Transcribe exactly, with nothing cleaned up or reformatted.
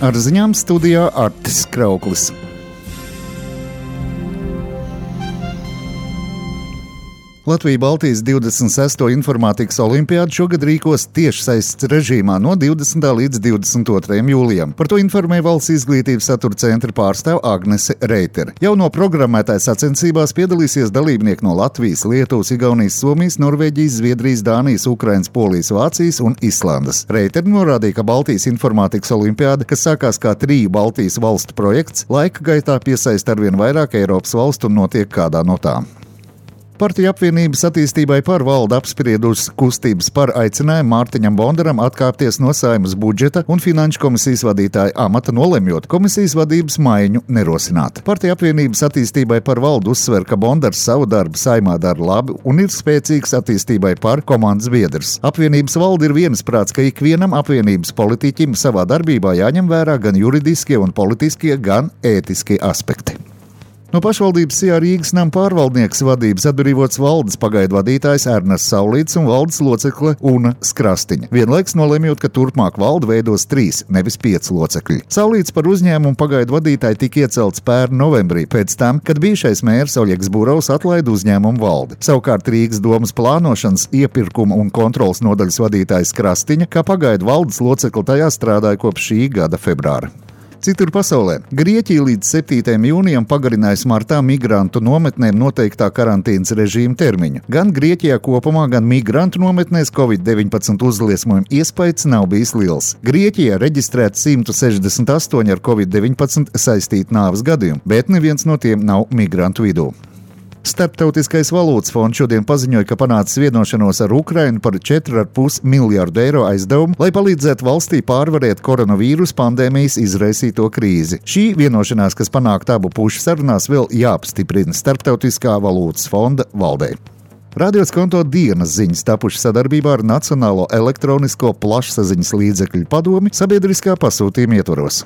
Ar ziņām studijā Artis Krauklis. Latvija-Baltijas divdesmit sesto informātikas olimpiādu šogad rīkos tiešsaistes režīmā no divdesmitā līdz divdesmit otrajam jūlijam. Par to informē Valsts izglītības satura centra pārstāve Agnese Reitere. Jau no programmētājas sacensībās piedalīsies dalībnieki no Latvijas, Lietuvas, Igaunijas, Somijas, Norvēģijas, Zviedrijas, Dānijas, Ukrainas, Polijas, Vācijas un Islandes. Reitere norādīja, ka Baltijas informātikas olimpiāda, kas sākās kā triju Baltijas valstu projekts, laika gaitā piesaista arvien vairāk Eiropas valstu un notiek kādā no tām. Partiju apvienības attīstībai par valde apspriedusi kustības par aicinājumu Mārtiņam Bondaram atkāpties no Saeimas budžeta un finanšu komisijas vadītāja amata, nolemjot komisijas vadības maiņu nerosināt. Partiju apvienības attīstībai par valdu uzsver, ka Bondars savu darbu Saeimā dara labi un ir spēcīgs attīstībai par komandas biedrs. Apvienības valde ir viensprāts, ka ikvienam apvienības politiķim savā darbībā jāņem vērā gan juridiskie un politiskie, gan ētiskie aspekti. No pašvaldības Sijā Rīgas nama pārvaldnieks vadības atbrīvots valdes pagaidu vadītājs Ernests Saulīts un valdes locekle Una Skrastiņa. Vienlaiks nolemjot, ka turpmāk valde veidos trīs, nevis pieci locekļi. Saulīts par uzņēmumu pagaidu vadītāju tika iecelts pērn novembrī, pēc tam, kad bijušais mērs Oļegs Burovs atlaida uzņēmumu valdi. Savukārt Rīgas domas plānošanas, iepirkuma un kontrolas nodaļas vadītājs Skrastiņa, kā pagaidu valdes locekli tajā strādāja kopš šī gada februāra. Citur pasaulē Grieķija līdz septītajam jūnijam pagarinājusi martā migrantu nometnēm noteiktā karantīnas režīma termiņu. Gan Grieķijā kopumā, gan migrantu nometnēs covid deviņpadsmit uzliesmojuma iespējas nav bijis liels. Grieķijā reģistrēts simt sešdesmit astoņi ar covid deviņpadsmit saistīti nāves gadījumi, bet neviens no tiem nav migrantu vidū. Starptautiskais valūtas fonds šodien paziņoja, ka panācis vienošanos ar Ukrainu par četru ar pus miljārdu eiro aizdevumu, lai palīdzētu valstī pārvarēt koronavīrus pandēmijas izraisīto krīzi. Šī vienošanās, kas panākta abu pušu sarunās, vēl jāapstiprina Starptautiskā valūtas fonda valdei. Radio Skonto dienas ziņas tapuši sadarbībā ar Nacionālo elektronisko plašsaziņas līdzekļu padomi sabiedriskā pasūtījuma ietvaros.